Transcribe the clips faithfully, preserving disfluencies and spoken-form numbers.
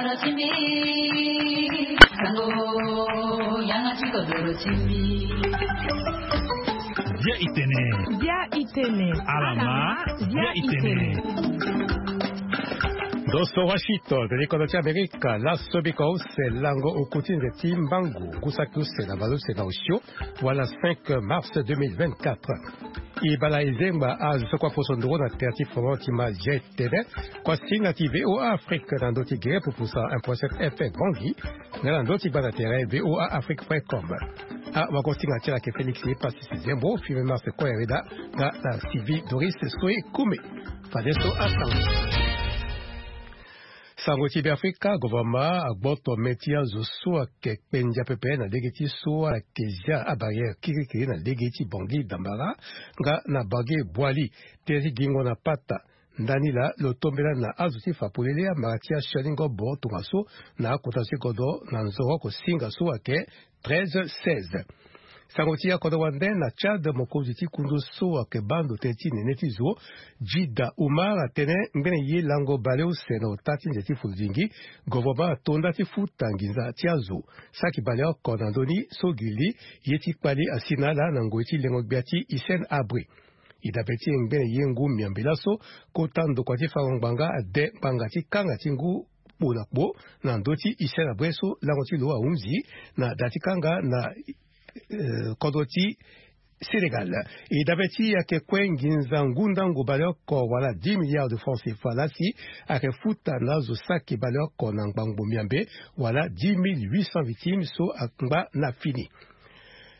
Bia itene. Bia itene. Alama, bia itene. Ndo so Washington, likondo ti Amerika, laso biko use lango okuti nze ti mbangu, ngu saki use na baleuse na osio, wala cinq mars deux mille vingt-quatre. E bala e zengba azo so kue aposo nduru na tere ti folon ti ma G T V, kue asinga ti V O A Afrique na ndö ti gere pupusa un point sept F M Bangui, nga na ndö ti gba na tere V O A Afrique point com. Awagosinga ti ala ayeke Félix Passis Zembo, Firmin Mars Koyareda, nga na Sylvie Doris Soe Kume. Fadeso asango. Sango ti Beafrika, gouvernement agboto me ti azo so ayeke kpendia pepe na lege ti so ala yeke zia abarrière kirikiri na lege ti Bangui Dambara nga na Bangui Boali, tere ti gingo na pata. Ndani laa lo tombela na azo ti fa polele amara ti asioni ngobo tongaso na akota ti kodro na nzoro oko singa so ayeke treize seize. Sango ti akodro wande na Tchad, mokonzi ti kundu so ayeke baa ndo tënë ti nene ti zo, Djida Oumar, atene ngbene ye lango baleuse na ota ti nze ti fuludingi, gouvernement ato nda ti futa nginza ti azo saki baleoko na ndö ni so gi li ye ti kpali asi na ala na ngoi ti lengo gbia ti Hissène Habré. E dabe ti e ngbene ye ngu miambe laso, kota ndokua ti fango ngbanga ade ngbanga ti kanga ti ngu kpo na kpo na ndö ti Hissène Habré so lango ti lo ahunzi na da ti kanga na, eh, kodro ti Sénégal. E dabe ti e ayeke kue nginza ngu ndango baleoko wala dix milliards de francs C F A lasi ayeke futa na azo saki baleoko na ngbangbo miambe wala dix mille huit cents victimes so angba na fini.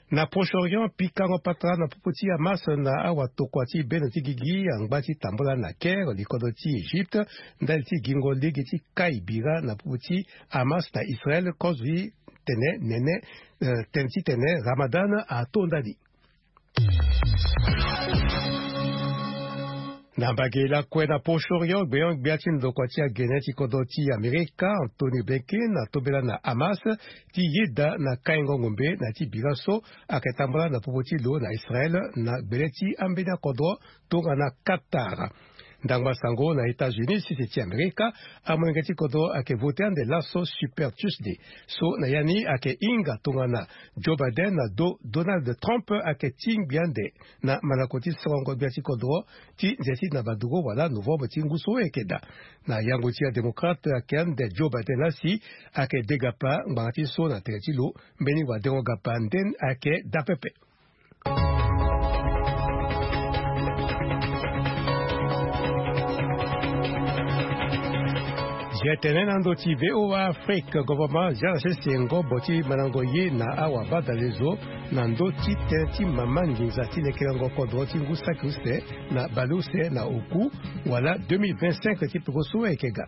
Na Proche-Orient, pikango patara na popo ti Hamas na awatokua ti bendo ti gigi angba ti tambula na Caire, likondo ti Égypte, ndali ti gingo lege ti kai bira na popo ti Hamas na Israël, kozo ti tene nene, eh, tene ti tene Ramadan ato ndani. Na mbage lakue na Proche-Orient, gbenyo-gbia ti ndokua ti agene ti kodro ti Amerika, Antony Blinken, atombela na Hamas ti yeda na kaingo ngombe na ya ti bira so ayeke tambula na popo ti lo na Israël na gbele ti ambeni akodro tongana Qatar. Ndangba sango na États-Unis, sese ti Amerika, amolenge ti kodro ayeke vote ande laso Super Tuesday so na ya ni ayeke hinga tongana Joe Biden na do Donald Trump ayeke ti ngbia ande na malako ti sorongo gbia ti kodro ti nze ti nabaduru wala novembre ti ngu so ayeke daa. Na yango ti adémocrate ayeke ande Joe Biden lasi ayeke de gapa ngbanga ti so na tere ti lo, mbeni wadengo gapa nden ayeke daa pepe. Zia tene na ndo ti V O A Afrique, gouvernement azia na sese ngobo ti mandango ye na awabadalezo na ndö ti tënë ti mama nginza ti lekerengo kodro ti ngu saki use na bale use na oku wala deux mille vingt-cinq ti peko so ayeke ga.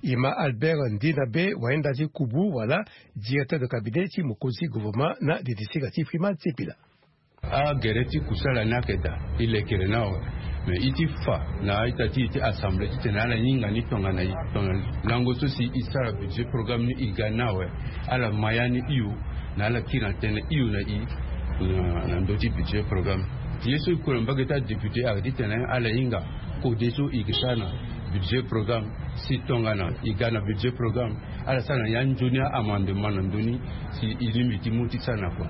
E ma Albert Ndinabe, wayenda ti kubu wala directeur de cabinet ti mokonzi gouvernement na didisinga ti Freeman Sipila. Agere ti kusala ni ayeke daa, e lekere ni awe. Me e ti fa na a-ita ti e ti assemblée titene ala hinga ni tongana e, tongana lango so si e sara budget programme ni e ga ni awe. Ala ma ya ni hio, na ala kiri na tënë hio na e na, na ndö ti budget programme. Ye so e kue na mbage ti adéputé ayeke titene ala hinga kode so e yeke sara na budget programme, si tongana e ga na budget programme, ala sara na ya nzoni a-amendement na ndö ni, si e lingbi ti mu ti sara na kua.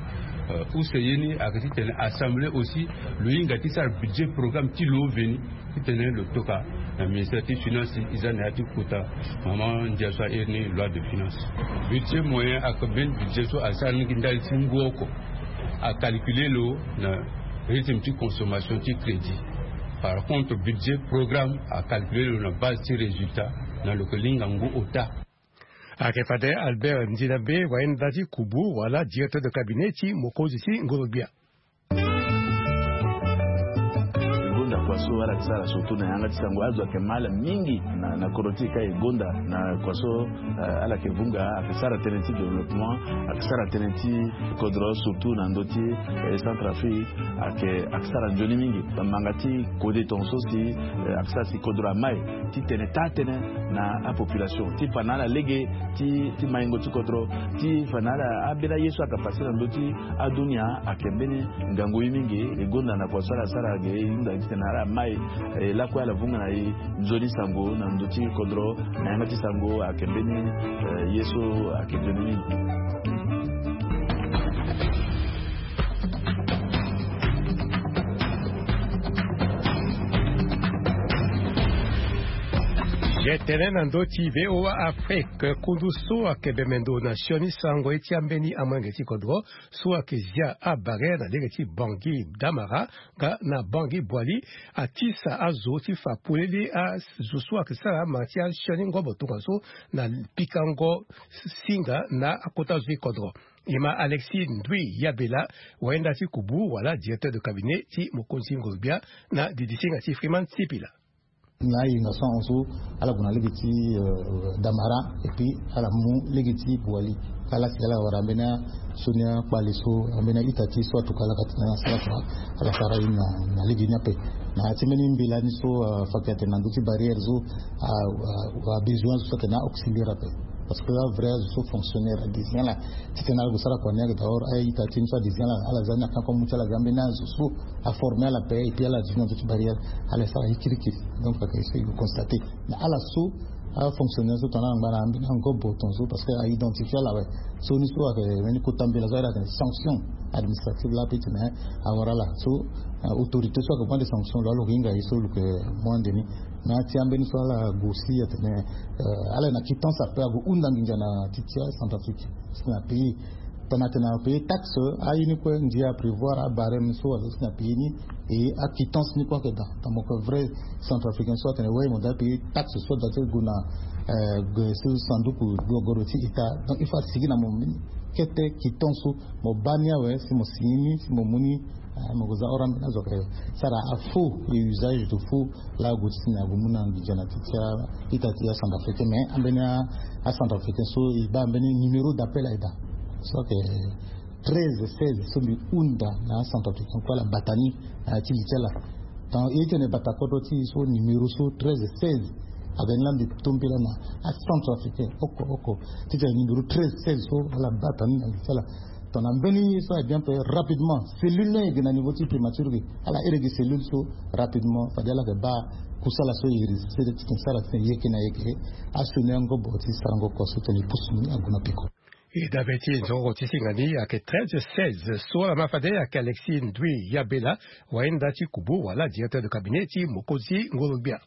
Euh, use ye ni ayeke titene assemblée aussi lo hinga ti sara budget programme ti lo veni, titene lo toka na ministère ti finance, e za na ya ti kota mama ndia so airi ni loi de finance. Budget moyen ayeke mbeni budget so asara ni gi ndali ti ngu oko, acalculer lo na rythme ti consommation ti crédit. Par contre, budget programme acalculer lo na base ti résultat, na lo yeke linga ngu ota. Ayeke fade Albert Ndinabe, wayenda ti kubu wala directeur de cabinet ti mokonzi ti ngoro-gbia. E gonda kua so ala yeke sara surtout na yanga ti sango, azo ayeke ma ala mingi na, na kodro ti e ka e gonda na kua so, eh, ala yeke vunga, ayeke sara tënë ti développement, ayeke sara tënë ti kodro surtout na ndö ti, eh, Centrafrique, ayeke, ayeke sara nzoni mingi. Manga ti kode tongaso si, eh, ayeke sara si kodro amai titene taa tënë na apopulation, ti fa na ala lege ti, ti maingo ti kodro, ti fa na ala ambeni aye so ayeke pase na ndö ti adunia, ayeke mbeni ngangu ye mingi. E gonda na kua so ala sara ge, e hunda titene ala Mai, eh, lakue ala vunga na e nzoni sango na ndo ti kodro, na yanga ti sango ayeke mbeni, eh, ye so ayeke nzoni mingi. Ye tene na ndo ti V O A Afrique, kundu so ayeke bembe ndo na sioni sango ye ti ambeni amolenge ti kodro so ayeke zia abarrière na lege ti Bangui Damara nga na Bangui Boali, atisa azo ti fa polele azo so ayeke sara mara ti asioni ngobo tongaso na pikango singa na akota zo ti kodro. E ma Alexis Ndui Yabela, wayenda ti kubu wala directeur de cabinet ti mokonzi ngoro-gbia, na didisinga ti Freeman Sipila. Na ayenga so ahon so ala gue na lege ti, euh, Damara, et puis ala mu lege ti Boali. Ala si ala wara ambeni asioni akpale so, ambeni a-ita ti e so atuka ala ka tene ala sara kua, ala sara ye ni na, na lege ni ape. Na ya ti mbeni mbela ni so, euh, afa ayeke atene na ndö ti barrière so, a, a, abesoin azo so atene a-auxiliaire ape. Parce que avrai azo so fonctionnaire adesien ala titene ala gue sara kua ni ayeke d'abord a-ita ti e ni so adesien ala, ala za ni na kanko amu ti ala ga ambeni azo so aforme ala ape, et puis ala duti na ndö ti barrière, ala sara ye kirikiri. Donc ayeke so e constate. Mais ala so afonctionnaire so tongana ala ngba na ambeni angobo tongaso, parce que a identifie ala awe. So ni so ayeke mbeni kota mbela so ayeke sanction administrative laa, peut-être, mais awara ala so, euh, autorité so ayeke prendre sanction lo, ala lo hinga ye so lo yeke mu ande ni. Na ya ti ambeni so ala gue aussi atene, euh, ala na quittance ape ague hunda nginza na ti ti aCentrafrique si na pays. Tongana atene apaye taxe, aye ni kue ndia aprévoir abarème so aza si na pays ni, et aquittance ni kue ayeke daa. Tongana mo yeke vrai centrafricain so atene oui mo doit payer taxe so adoit ti gue na, euh, gue so sanduku gogoro ti état. Donc il faut asigi na mo mbeni kete quittance so mo baa ni awe si mo signer ni si mo mu ni. Ah, mo ke za ora ambeni azo ayeke sara afaux et usage de faux laa ague ti tene ague mu na nginza na ti ti a-ita ti aCentrafricain. Mais ambeni aCentrafricain so e baa ambeni numéro d'appel ayeke daa so ayeke treize seize so mbi hunda na aCentrafricain kue ala bata ni na ya ti li ti ala. Tongana e tene bata kodro ti e so numéro so treize seize aga ni laa mbi to mbela na aCentrafricain oko oko titene numéro treize seize so ala bata ni na li ti ala. Tongana mbeni ye so aye bien ape rapidement cellule ni ayeke na niveau ti primature ge, ala iri gi cellule so rapidement fade ala yeke baa kusala so e résister titene e sara titene e yeke na yeke asioni angobo ti sarango kua so titene e pusu ni ague na peko. E dabe ti nzororo ti singa ni ayeke treize seize so ala ma fade ayeke Alexis Ndui Yabela, wayenda ti kubu wala directeur de cabinet ti mokonzi ngoro-gbia.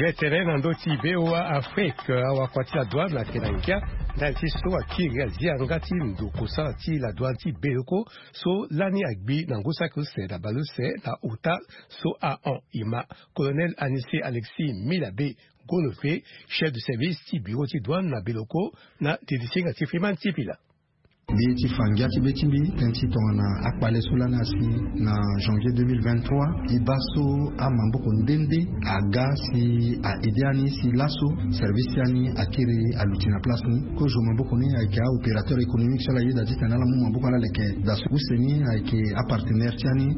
Ye tene na ndö ti V O A Afrique, awakua ti la douane ayeke na ngia ndali ti so akiri azia yanga ti ndo kosala ti la douane ti Beleko so lani agbi na ngu saki use na bale use na ota so ahon. E ma Colonel Anissé Alexis Milabe Gonofe, chef de service ti bureau ti douane na Beleko, na didisinga ti Freeman Sipila. Mbi ye ti fa ngia ti be ti mbi tënë ti tongana akpale so lani asi na janvier deux mille vingt-trois. E baa so amaboko nde nde aga si a aide ani si laso service ti ani akiri aluti na place ni. Kozo maboko ni ayeke aopérateur économique so ala yeda titene ala mu maboko ala leke daa so. Use ni ayeke apartenaire ti ani,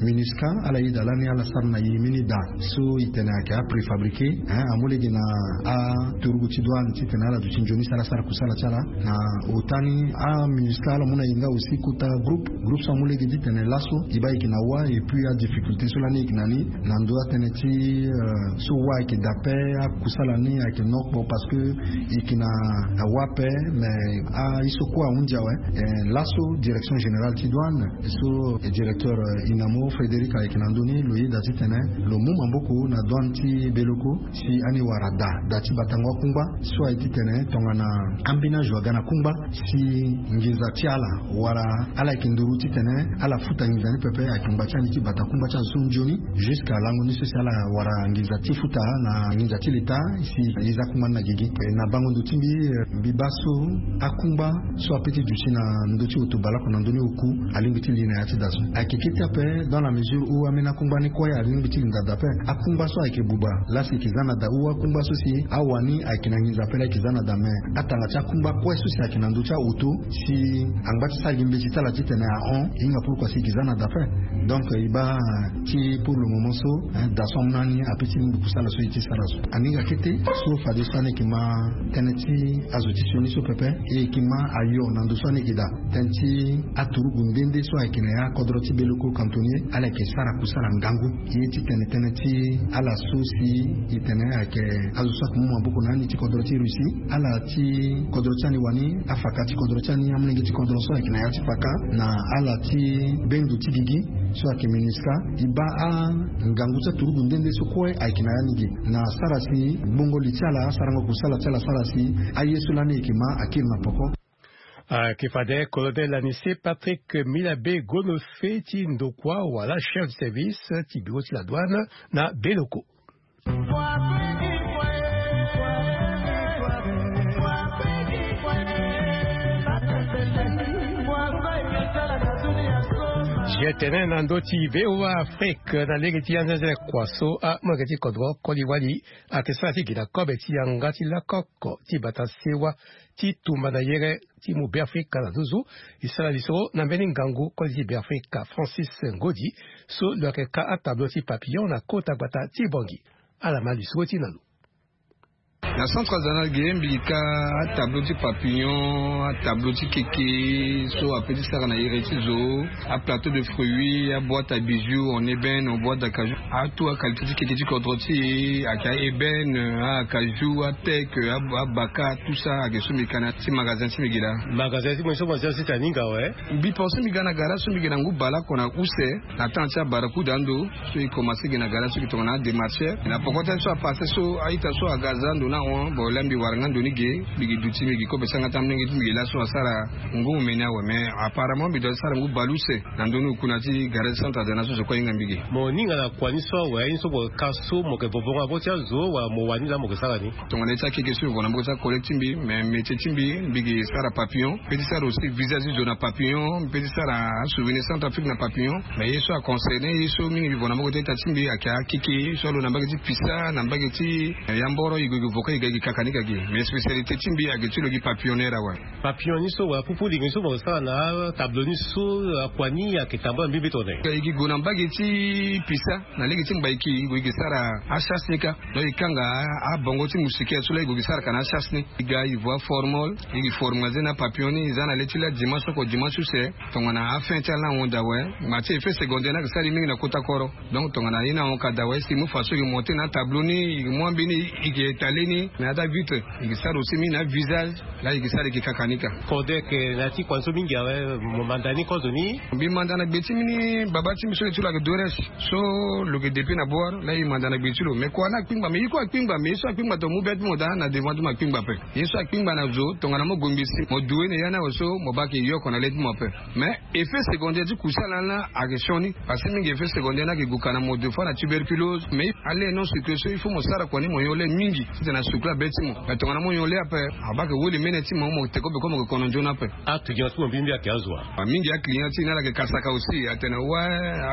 aMINUSCA, ala yeda lani ala sara na e mbeni daa so e tene ayeke apréfabriqué, hein, amu lege na aturugu ti douane titene ala duti nzoni si ala sara kusala ti ala. Na ota ni aMINUSCA ala mu na e nga aussi kota groupe, groupe so amu lege titene laso e baa e yeke na wâ, et puis adifficulté so lani e yeke na ni na ndo atënë ti, euh, so wâ ayeke daa ape, akusala ni ayeke nokpo parce que e yeke na wâ ape. Mais aye so kue ahunzi awe. Eh, laso direction générale ti douane so, eh, directeur, eh, Inamo Frédéric ayeke na ndö ni, lo yeda titene lo mu maboko na douane ti Beleko si ani wara daa, daa ti batango akungba so aye titene tongana ambeni azo aga na kungba si nginza ti ala wala ala yeke nduru titene ala futa nginza ni pepe, ayeke ngba ti ani ti bata kungba ti azo so nzoni jusqu'à lango ni so si ala wara nginza ti futa na nginza ti leta si e za kungba ni na gigi. Eh, na bango ndo ti mbi, eh, mbi baa so akungba so ape ti duti na ndö ti oto baleoko na ndö ni oku alingbi ti li na ya ti daa so. Ayeke kete ape dans la mesure où ambeni akungba ni kue alingbi ti linda daa ape. Akungba so ayeke buba laa si e yeke za na daa ou akungba so si awani ayeke na nginza ape laa e yeke za na daa, mais atanga ti akungba kue so si ayeke na ndö ti aoto si angba ti sara gi mbeti ti ala titene ahon, e hinga pourkua si e yeke za na daa ape. Donc e baa ti pour le moment so, hein, da so amu na ni ape ti nduku sara so e ti sara so. Aninga kete so fade so ani yeke ma tënë ti azo ti sioni so pepe, e yeke ma ayo na ndo so ani yeke daa. Tënë ti aturugu nde nde so ayeke na ya kodro ti beleko cantonnier, ala yeke sara kusala ngangu. Ye ti tene tënë ti ala so si e tene ayeke azo so ayeke mu maboko na ani ti kodro ti Russie, ala ti kodro ti ani wani, afaka ti kodro ti ani, amolenge ti kodro so ayeke na ya ti faka, na ala ti bendo ti gigi so ayeke MINUSCA. E baa angangu ti aturugu nde nde so kue ayeke na ya ni ge na sara si gbongo li ti ala, asarango kusala ti ala, sara si aye so lani e yeke ma akiri na poko. Ayeke fade colonel Anissé Patrick Milabe, gono fe ti ndokua wala chef de service ti bureau ti la douane na beleko. Je tene na ndö ti V O A Afrique na lege ti anzenze kua so amolenge ti kodro koli wali ayeke sara ti gi na kobe ti yanga ti lakoko ti bata sewa ti tumba na yere ti mu Beafrika na nduzu. E sara lisoro na mbeni ngangu koli ti Beafrika Francis Ngodi so lo yeke ka atablo ti papillon na kota gbata ti Bangui. Ala ma lisoro ti na lo. Na centre artisanal ge mbi gi ka atablo ti papillon, atablo ti keke so ape ti sara na yere ti zo, aplateau de fruits, aboîte à bijoux en ébène, en boîte d'acajou. Atout aqualité ti keke ti kodro ti e ayeke aébène, acajou, ateke, abaka, tout ça ayeke so mbi ka na ti magasin ti mbi gi laa. Magasin ti mo so mo zi asi ti aninga awe. Mbi pense mbi ga na gara so mbi gi na ngu baleoko na use na temps ti abarakuda ando. So e commencé gi na gara so e gi tongana adémarcheur na poko ti aye so apassé so a-ita so aga aza ndo ni ahon. Bon laa mbi wara nga ndo ni ge, mbi gi duti mbi gi kobe ti yanga ti amolenge ti mbi gi laso asara ngu mene awe. Mais apparemment mbi doit ti sara ngu baleuse na ndö ni oku na ti gara ti centre artisanal so zo kue ahinga mbi ge. Mo ninga na kua ni so awe, aye ni so mo ka so mo yeke vovo nga vo ti azo wala mo wani laa mo yeke sara ni? Tongana ye ti akeke so mbi vo na maboko ti acollègue ti mbi, mais métier ti mbi mbi gi sara papillon, mpe ti sara aussi visage ti zo na papillon, mpe ti sara asouvenir Centrafrique na papillon. Mais ye so aconcerné ye so mingi mbi vo na maboko ti a-ita ti mbi ayeke akeke so alo na mbage ti pisa, na mbage ti yamboro, e gue e gue vo kue e ga e gi kaka ni ka gi. Mais spécialité ti mbi ayeke ti lo gi papillonneur awe. Papillon ni so wala pupu lingo ni so mo sara na atablo ni so, akua ni ayeke tambula mbi mbi tongana nyen? E gi gue na mbage ti pisa na lege ti mbaiki, e gue e gi sara achasse ni ka. Donc e kanga abongo ti moustiquaire so laa e gue e gi sara ka na achasse ni. E ga e vo aformol, e gi formaliser na papillon ni, e za na le ti laa dimanche oko dimanche use. Tongana afin ti ala ni ahon daa awe, ma ti effet secondaire ni ayeke sara e mingi na kota koro. Donc tongana ye ni ahon ka daa awe, si e mu façon e gi monter na atablo ni, e gi mu ambeni, e gi étaler ni na ya ti avitre, e gi sara aussi mingi na avisage. Laa e gi sara e gi kaka ni ka. Fode ayeke na ya ti kua ni so mingi awe, mo manda ni kozoni? Mbi manda na gbe ti mbi ni, baba ti mbi so lo ti lo ayeke Dorès. So lo yeke depuis na Bouar, laa e manda na gbe ti lo. Mais kua ni akpingba, mais ye kue akpingba, mais ye so akpingba tongana mo mu be ti mo daa na devant ti mo akpingba ape. Ye so akpingba na zo, tongana mo gue ngbii si mo due na ya ni awe so, mo baa ayeke yoko na le ti mo ape. Mais effet secondaire ti kusala ni laa ayeke sioni. Parce que mingi effet secondaire ni ayeke gue ka na mo, des fois na tuberculose. Mais ale non sucré so il faut mo sara kua ni mo nyon le mingi titene asucré abe ti mo. Mais tongana mo nyon le ape, abaa ayeke woli mene ti mo, mo te kobe kue mo yeke kono nzoni ape. Aclient ti mo mbi mbi ayeke azo wa? Ah, mingi aclient ti e ni ala yeke kasaka aussi, atene wa,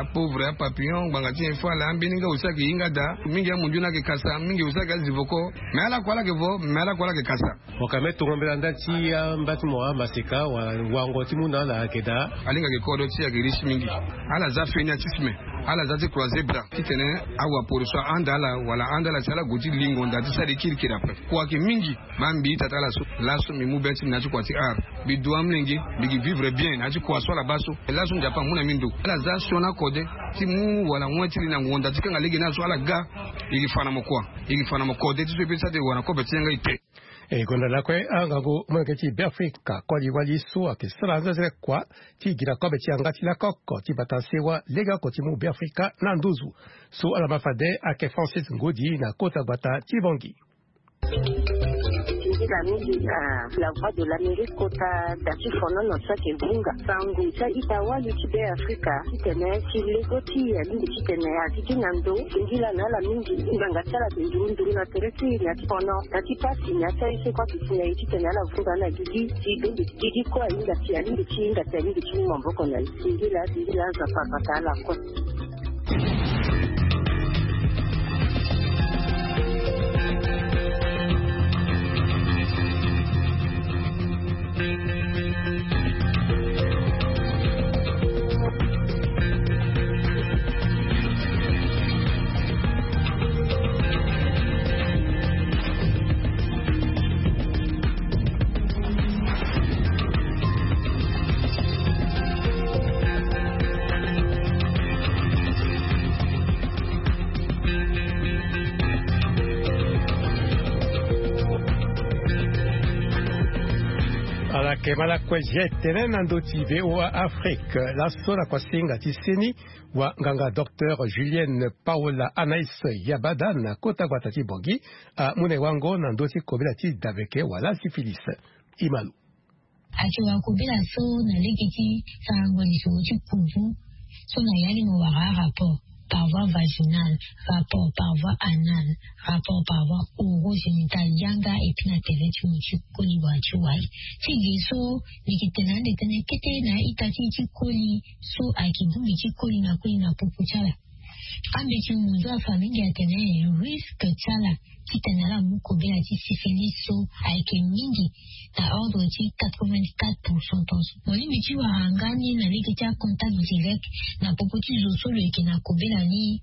apauvre, apapillon, ngbanga ti nyen fâ laa, ambeni nga aussi ayeke hinga daa. Mingi amundu ni ayeke kasa, mingi aussi ayeke azi voko. Mais ala kue ala yeke vo, mais ala kue ala yeke kasa. Mo ka me tongo mbela nda ti amba ti mo amaseka wala wango ti mu na ala ayeke daa. Alinga ayeke kodro ti e ayeke riche mingi. Ala za fainéantisme. Ala za ti croiser bras titene awaporo so ahanda ala wala ahanda ala si ala gue ti lingo nda ti sara e kirikiri ape. Kua ayeke mingi. Baa mbi ita ti ala so, laso mbi mu be ti mbi na ya ti kua ti art. Mbi du amolenge, mbi gi vivre bien na ya ti kua so ala baa so. Laso Nzapa amu na mbi ndo. Ala za sioni akode ti mu wala wen ti li na ngonda ti kanga lege ni azo ala ga. E gi fa na mo kua. E gi fa na mo kode ti so e peut ti sara ti wara na kobe ti yanga ete. E gonda lakue angangu molenge ti Beafrika koli wali so ayeke sara anzenzele kua ti gi na kobe ti yanga ti lakoko ti bata sewa legeoko ti mu Beafrika na nduzu. So ala ma fade ayeke Francis Ngodi na kota gbata ti Bangui. Mingi na mingi na La Voix de l'Amérique kota da ti fonono so ayeke vunga sango ti a-ita wali ti Beafrika titene ti lego ti e alingbi titene a gigi na ndo. Singila na ala mingi ngbanga ti ala ayeke nduru nduru na tere ti e na ya ti fono, na ya ti pasi, na ya ti aye so kue ayeke si na e titene ala vunga na gigi ti bembe ti gigi kue ahinga ti alingbi ti hinga ti alingbi ti mu maboko na e. Singila, singila, Nzapa abata ala kue. E ma lakue zia etene na ndö ti VOA Afrique laso na kuasinga ti seni, wa nganga docteur Julienne Paola Anaïs Yabada na kota gbata ti Bangui amu na e wango na ndö ti kobela ti daveke wala syphilis. Imalu. Ake wa kobela so na lege ti sarango lisoro ti kubu so na yali mo wara rapport par voie vaginale, rapport par voie anale, rapport par voie orogénitale yanga et puis na tere ti mo ti koli wa ti wali. Ti ge so ni ki tene ande tene kete na ita ti ti koli so ake bongbi ti koli na koli na popo ti ala. Ambe ti munzu afa mingi atene risque ti ala titene ala mu kobela ti syphilis so ayeke mingi na ordre ti quatre-vingt-quatre pour cent tonso. Mo lingbi ti wara nga ni na lege ti acontact direct na popo ti zo so lo yeke na kobela ni,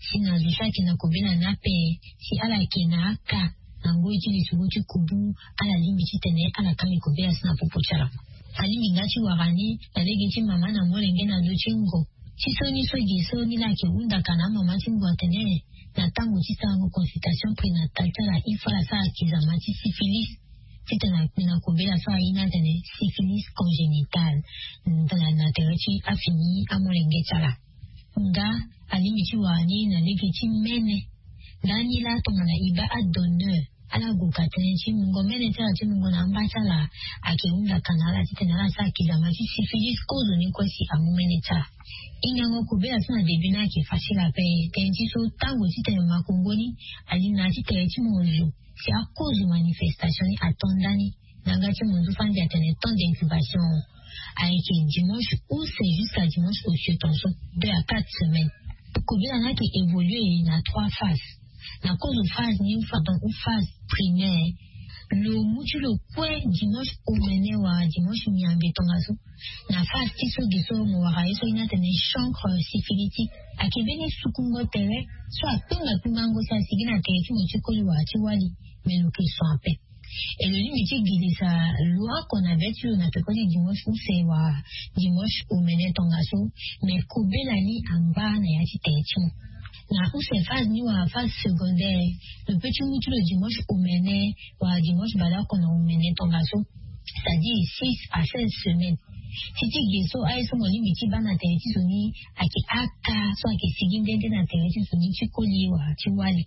si na zo so ayeke na kobela ni ape, si ala yeke na aka na ngoi ti lisoro ti kubu, ala lingbi titene ala kangbi kobela so na popo ti ala. Alingbi nga ti wara ni na lege ti mama na molenge na ndö ti ngo. Ti so ni so ge so ni laa ayeke hunda ka na amama ti ngu atene na tango ti sarango consultation prénatale ti ala il faut ala sara kizama ti syphilis. Titene akpe na kobela so aye ni atene syphilis congénitale. Ndala na tere ti afini amolenge ti ala. Nga alingbi ti wara ni na lege ti mene. Lani laa tongana e baa adonneur ala gue ka tënë ti mungo mene ti ala ti mungo na amba ti ala ayeke hunda ka na ala titene ala sara kizama ti syphilis kozo ni kue si amu mene ti ala. Hingango kobela so na début ni ayeke facile ape. Tënë ti so tango titene makongo ni ali na ya ti tere ti mo zo si akozo manifestation ni ato ndani. Na yanga ti mo nzu fandi atene temps d'incubation ayeke dimanche use jusqu'à dimanche osio tonso, deux à quatre semaines. Kobela ni ayeke évoluer na trois phases. Na kozo phase ni, pardon, ou phase primaire, lo mu ti lo kue dimanche omene wala dimanche miambe tongaso. Na phase ti so ge so mo wara ye so ye ni atene chancre syphilitique, ayeke mbeni sukungo tere so akpengba kpengbango si asigi na tere ti mo ti koli wala ti wali. Me lo yeke so ape. E lo lingbi ti girisa lo oko na be ti lo na peko ti dimanche use wala dimanche omene tongaso. Me kobela ni angba na ya ti tere ti mo. Na use phase ni wala phase secondaire, lo peut ti mu ti lo dimanche omene wala dimanche baleoko na omene tongaso, c'est-à-dire six à seize semaines. Ti ti ge so aye so mo lingbi ti baa na tere ti zo ni ayeke aka so ayeke sigi nde nde na tere ti zo ni ti koli wala ti wali.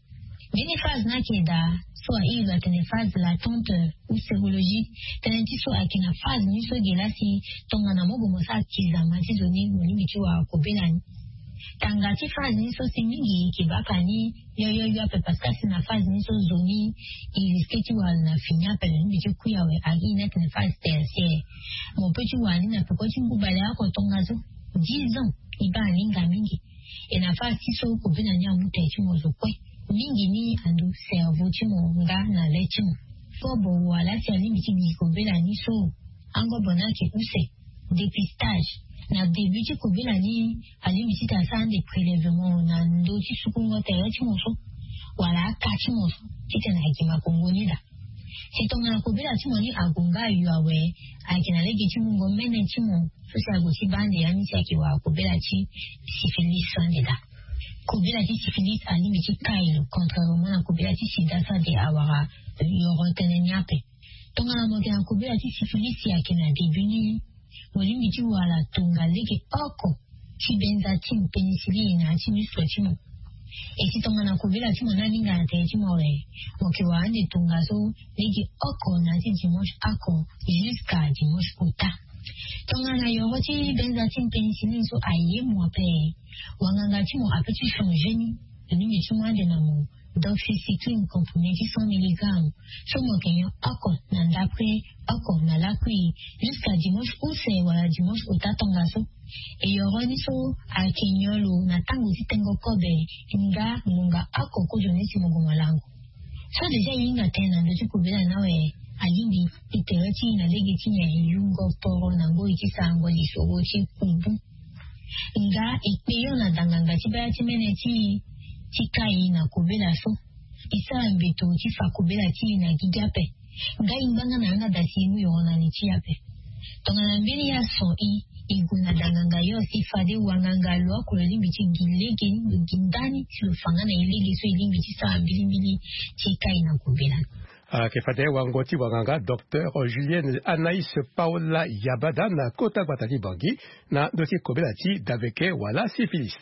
Mbeni phase ni ayeke daa so ahiri lo atene phase latente ou sérologique. Tënë ti so ayeke na phase ni so ge laa si tongana mo gue mo sara kizama ti zo ni mo lingbi ti wara kobela ni. Tanga ti phase ni so si mingi e yeke baa ka ni yo yo yo ape parce que asi na phase ni so zo ni e risque ti wara lo na fini ape, lo lingbi ti kui awe, ahiri ni atene phase tertiaire. Mo peut ti wara ni na peko ti ngu baleoko tongaso, dix ans. E baa aninga mingi. E na phase ti so kobela ni amu tere ti mo zo kue. Mingi ni ando cerveau ti mo nga na le ti mo. Kobo wala si alingbi ti gi kobela ni so, angobo ni ayeke use. Dépistage. Na début ti kobela ni alingbi titene asara ande prélèvement na ndö ti sukungo tere ti mo so wala aka ti mo so titene agi makongo ni daa. Si tongana kobela ti mo ni ague nga ayo awe, ayeke na lege ti mungo mene ti mo so si ague ti baa ande ya ni si ayeke wara kobela ti syphilis so ande daa. Kobela ti syphilis alingbi ti kai lo contrairement na kobela ti sida so ade awara yoro tënë ni ape. Tongana mo yeke na kobela ti syphilis si ayeke na début ni, mo lingbi ti wara tonga lege oko ti benzatine pénicilline na ya ti muscle ti mo. E si tongana kobela ti mo ni aninga na tere ti mo awe, mo yeke wara ande tongaso lege oko na ya ti dimanche oko jusqu'à dimanche ota. Tongana yoro ti benzatine pénicilline so aye mo ape, wanganga ti mo apeut ti changer ni. Lo lingbi ti mu ande na mo doxycycline comprimé ti cent milligrammes so mo yeke nyon oko na ndapre, oko na lakui, jusqu'à dimanche use wala dimanche ota tongaso. E yoro ni so ayeke nyon lo na tango ti tengo kobe nga ngonga oko kozo ni si mo gue mo lango. So déjà e hinga tënë na ndö ti kobela ni awe, alingbi e tere ti e na lege ti nyen? E yungo poro na ngoi ti sarango lisoro ti kubu. Nga e kpe yo na danganga ti baya ti mene ti e ti kai na kobela so. E sara mbeto ti fa kobela ti e na gigi ape. Nga e ngbanga na yanga daa si e mu yoro na ni ti e ape. Tongana mbeni ya so e, e gue na danganga yo si fade wanganga lo oko lo lingbi ti gi lege ni, lo gi ndani si lo fa nga na e lege so e lingbi ti sara mbilimbili ti kai na kobela ni. Ayeke fade wango ti wanganga docteur Julienne Anaïs Paola Yabada na kota gbata ti Bangui na ndö ti kobela ti daveke wala syphilis.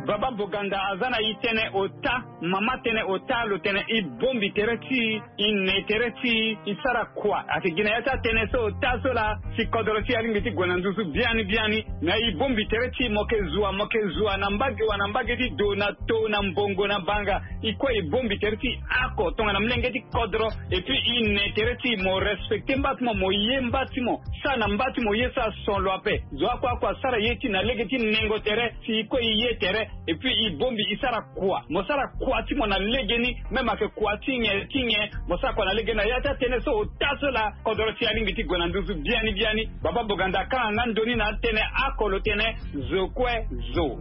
Baba Boganda aza na e tënë ota, mama tënë ota, lo tene e bongbi tere ti e, e ne tere ti e, e sara kua. Ayeke gi na ya ti atënë so ota so laa si kodoro ti e alingbi ti gue na nduzu biani biani. Na e bongbi tere ti e, mo yeke zua, mo yeke zua na mbage wa na mbage ti do, na to, na mbongo, na banga. E kue e bongbi tere ti e oko tongana molenge ti kodro. Et puis e ne tere ti e, mo respecter mba ti mo, mo ye mba ti mo. Sara na mba ti mo ye, sara son lo ape. Zo oko oko asara ye ti e na lege ti nengo tere, si e kue e ye tere. Et puis e bongbi e sara kua. Mo sara kua ti mo na legeni, même ayeke kua ti nyen ti nyen, mo sara kua na legeni. Na ya ti atënë so ota so laa kodoro ti e alingbi ti gue na nduzu biani biani. Baba Boganda akanga nga ndoni na atënë oko, lo tene zo kue zo.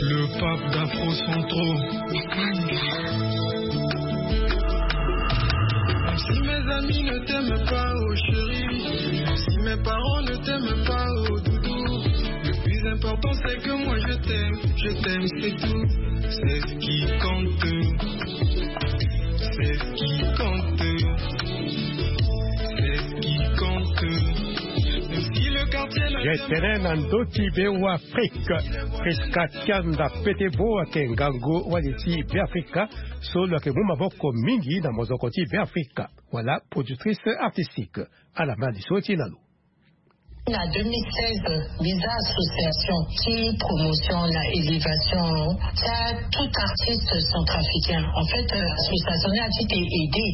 Le pape d'Afro Centro. Si mes amis ne t'aiment pas, oh chérie, si mes parents ne t'aiment pas, oh doudou, le plus important c'est que moi je t'aime, je t'aime, c'est tout. C'est ce qui compte. C'est ce qui compte. C'est ce qui compte. Même si le quartier ne Ye tene na ndö ti be wa Afrika. Prisca Kianda Petebo ayeke ngangu wali ti Beafrika so lo yeke mu maboko mingi na mozoko ti Beafrika wala productrice artistique. Ala ma li so ti na lo. Na deux mille seize, mbi za association ti promotion na élévation ti atout artiste centrafricain. En fait, association ni ati te aider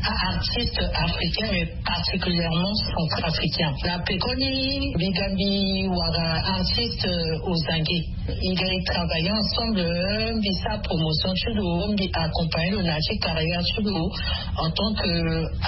aartiste africain, mais particulièrement centrafricain. Na pekoni mbi ga mbi wara artiste ozangi. Mbi ga mbi travailler ensemble, mbi sara promotion ti lo, mbi accompagner lo na ya ti carrière ti lo en tant que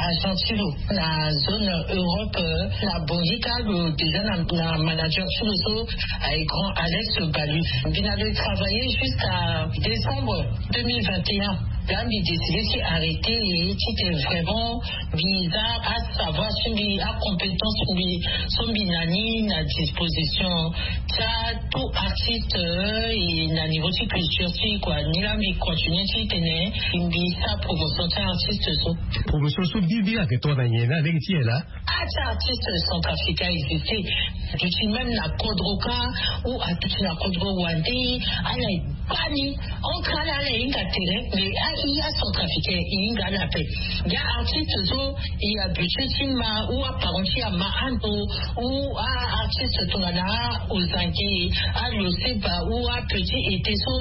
agent ti lo na zone Europe. Na Bangui kâ lo déjà na manager ti lo so aye grand Alex Balu. Mbi na lo travailler jusqu'à décembre deux mille vingt et un. Là mbi décidé ti arrêter et ti te vraiment mbi za asavoir ti mbi, acompétence ti mbi so mbi na ni na disposition ti atout artiste. Et na niveau ti culture ti e kua, ni laa mbi continue ti tene mbi sara promotion ti aartiste so. Promotion so bibi ayeke tongana nyen na lege ti e laa? Ah, ti aartiste centrafricain existe. Aduti même na kodro kâ, ou aduti na kodro wande, ala e baa ni. Entre ala, ala hinga tere, mais a, i acentrafricain i hinga ala ape. Nga artiste so i habitué ti ma ou aparent ti ama ando, ou aartiste tongana ozangi, aloseba ou apetit été so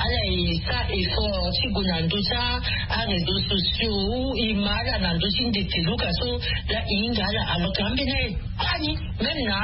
ala e sara effort ti gue na ndö ti aréseaux sociaux ou i ma ala na ndö ti ndete luka so, la i hinga ala. Alors que ambeni aye baa ni. Même na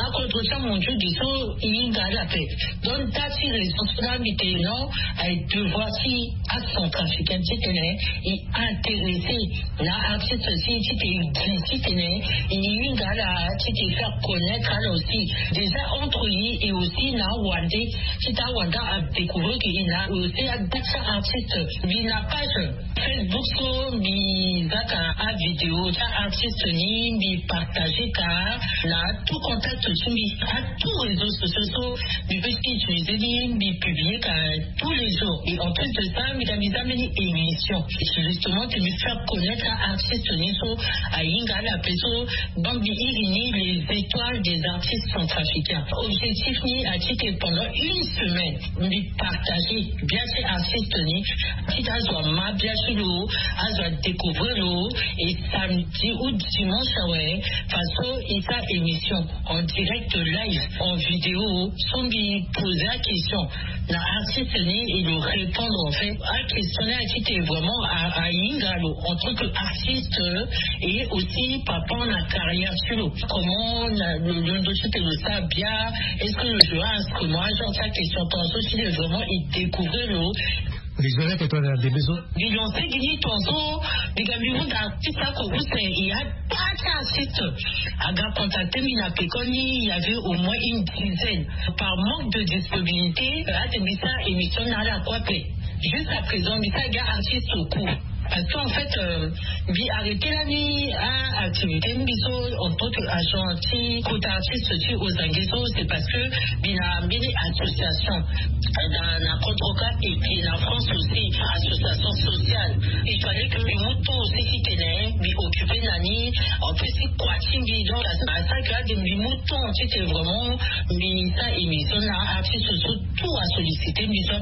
akodro ti amondiaux de so i hinga ala ape. Donc nda ti raison so la mbi tene non, aye devoir ti acentrafricain ti tene i intéressé na artiste aussi ti te i gi ti tene i hinga ala ti te faire connaître ala aussi. Déjà entre i et aussi na awande ti ta awande adécouvrir que i na aussi ada ti artiste. Mbi na page Facebook so mbi zaka avidéo ti aartiste ni, mbi partager ka na tout contact ti mbi, atout réseaux sociaux so mbi peut ti utiliser ni, mbi publier ka tous les jours. Et en plus de ça mbi ga mbi za mbeni émission justement ti mbi faire connaître aartiste ni so ahinga ala ape so. Donc mbi iri ni les étoiles des artistes centrafricains. Objectif ni ati ke pendant une semaine mbi partager bia ti artiste ni ti azo ama bia ti lo, azo adécouvrir lo. Et samedi ou dimanche awe façon i sara émission en direct live en vidéo so mbi poser aquestion na artiste ni et lo répondre en fait. Aquestion ni ati ke vraiment ahinga lo en tant que artiste et aussi par rapport na carrière ti lo, comment na lo londo ti te lo sara bia? Est-ce que lo joue instrument? Genre ti aquestion tongaso ti le vraiment i découvrir lo. Mbi zo leke tongana ndembe so. Mbi lancer gi ni tongaso. Mbi ga mbi hunda artiste oko use i ada ti artiste aga contacter mbi na pekoni il y avait au moins une dizaine. Par manque de disponibilité ate mbi sara émission na ala kue ape. Jusqu'à présent mbi sara gi artiste au cours. Parce que en fait, euh, mbi arrêté lani a activité mbi so en tant que agent ti kota artiste ti ozange so, c'est parce que mbi na mbeni association na na kodroka et puis na France aussi, association sociale. Il fallait que mbi mu temps aussi ti tene mbi occupé na ni, en plus ti kua ti mbi. Donc à ça que ade mbi mu temps ti tene vraiment mbi sa émission na artiste so tout a sollicité mbi so.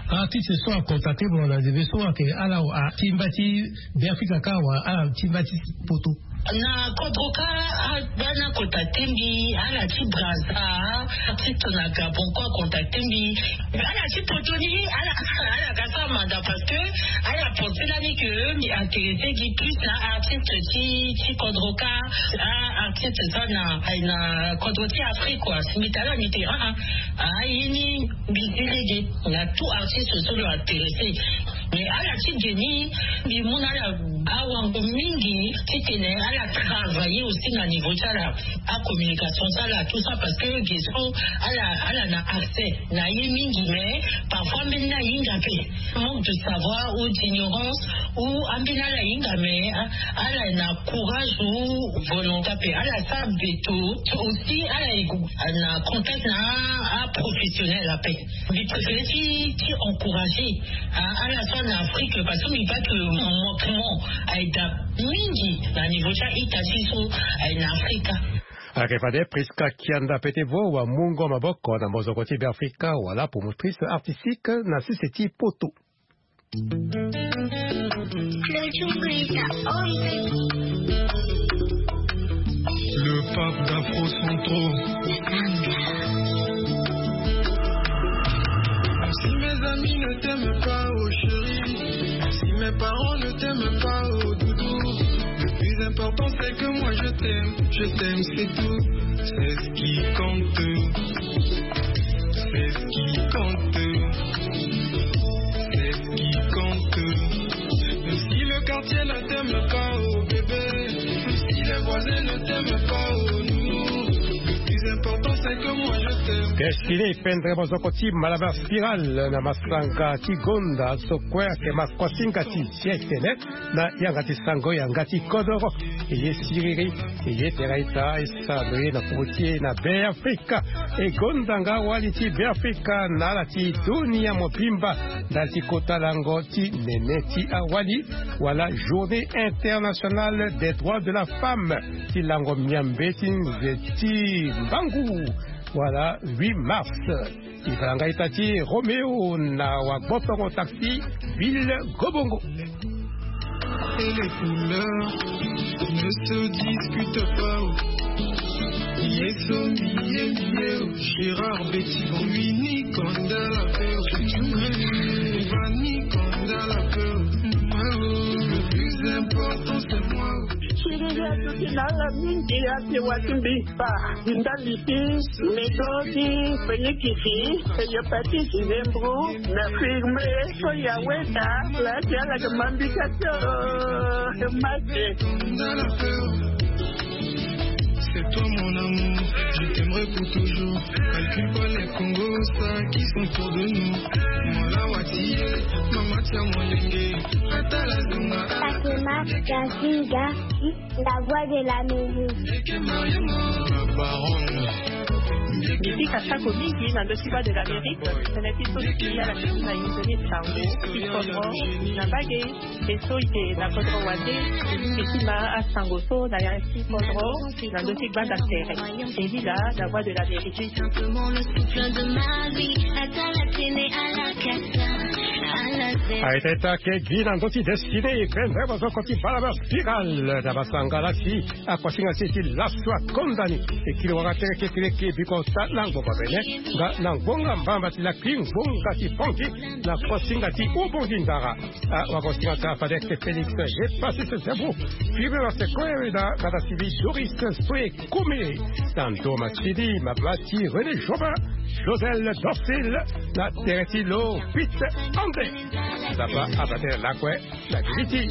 Artiste so a contacté mo na ndembe so ake ala atimba ti Beafrika ka wa ala timba ti poto. Na kodro ka, ah, bana contacté mbi, ala ti Brazza, artiste na Gabon ko contacté mbi. Ala ti poto ni, ala ala ka sa manda parce que ala pensé lani que mbi intéressé gi plus na artiste ti ti kodro ka, ah, artiste sa na na kodro ti Afrique quoi. Si mbi tala mbi te ah ah ah ye ni mbi zi lege na tout artiste so lo intéressé. Mais ala ti ge ni mbi mu na ala awango mingi ti tene ala travailler aussi na niveau ti ala, acommunication ti ala tout ça parce que ge so ala ala na accès na ye mingi mais parfois mbeni ahinga mpe manque de savoir ou d'ignorance ou ambeni ala hinga mais ah, ala na courage ou volonté mpe ala sa beto aussi ala na contact na aprofessionnel ape. Mbi préféré ti ti encourager ah, ala so na Afrique parce que mbi pas que manquement aye da mingi na niveau ti a-ita ti so aye na Afrika. Ayeke fade Prisca Kianda pete vo wamungo maboko na mozoko ti Beafrika wala promotrice artistique na sese ti poto. Le pape d'Afro Centro. Si mes amis ne t'aiment pas, oh chérie, si mes parents ne t'aiment pas, oh doudou, le plus important c'est que moi je t'aime, je t'aime, c'est tout. C'est ce qui compte. C'est ce qui compte. C'est ce qui compte. Même si le quartier ne t'aime pas, oh bébé, même si les voisins ne t'aiment pas, oh nounou, le plus important c'est que moi je t'aime. Destiné pendre mozoko ti Malabar Spiral na masanga ti gonda so kue ayeke makosinga ti siècle na yanga ti sango yanga ti kodoro. E ye siriri, e ye tera ita, e sara lo ye na popo ti e na Beafrika. E gonda nga wali ti Beafrika na ala ti dunia mobimba ndali ti kota lango ti nene ti awali wala Journée internationale des droits de la femme ti lango miambe ti nze ti mbangu wala huit mars. Ivalanga ita ti Roméo na wagbotongo taxi ville Gobongo. Et les couleurs ne se discutent pas. Yeso mbiye mbiye, Gérard Betty Bombini Kanda la peur. Vani Kanda la peur. Le plus important c'est moi. Siriri atuti na ala mingi ate wati mbi. Ba ndali ti medo ti penikisi, hepatite, zembro, na firme so ya weta la ti ala ke mambika ti mate. C'est toi mon amour, je t'aimerai pour toujours. Calcule pas les Congo, ça qui sont autour de nous. Mon la watiye, mama tia molenge, atala zunga. Fatima Gazinga, la voix de la musique. Miziki asako mingi na ndö ti voix de l'Amérique, tene ti so ti ala ti na inzoni sango ti kodro na mbage. E so e yeke na kodro wande, e yeke ti ma asango so na ya ti kodro na ndö ti gbanda tere. E lila na voix de l'Amérique. Arrête ta ke gi na ndö ti destiné, e pendre mozoko ti Malabar Spiral na basangala si. Akosinga si ti laso akonda ni. E kiri wanga tere kekereke biko ta na ngbonga bene nga na ngbonga mbamba ti lakui ngbonga ti pongi na kosinga ti ubongi ndara. Ah, wakosinga ka fade ke Félix ye pasi se zebu. Firi na se koe na kata sivi Doris soe kumi. Sando Machidi, Mabati, René Jobin, Josel Dorsil, na tere ti lo Pete Ande. Zapa abate lakue. La vérité.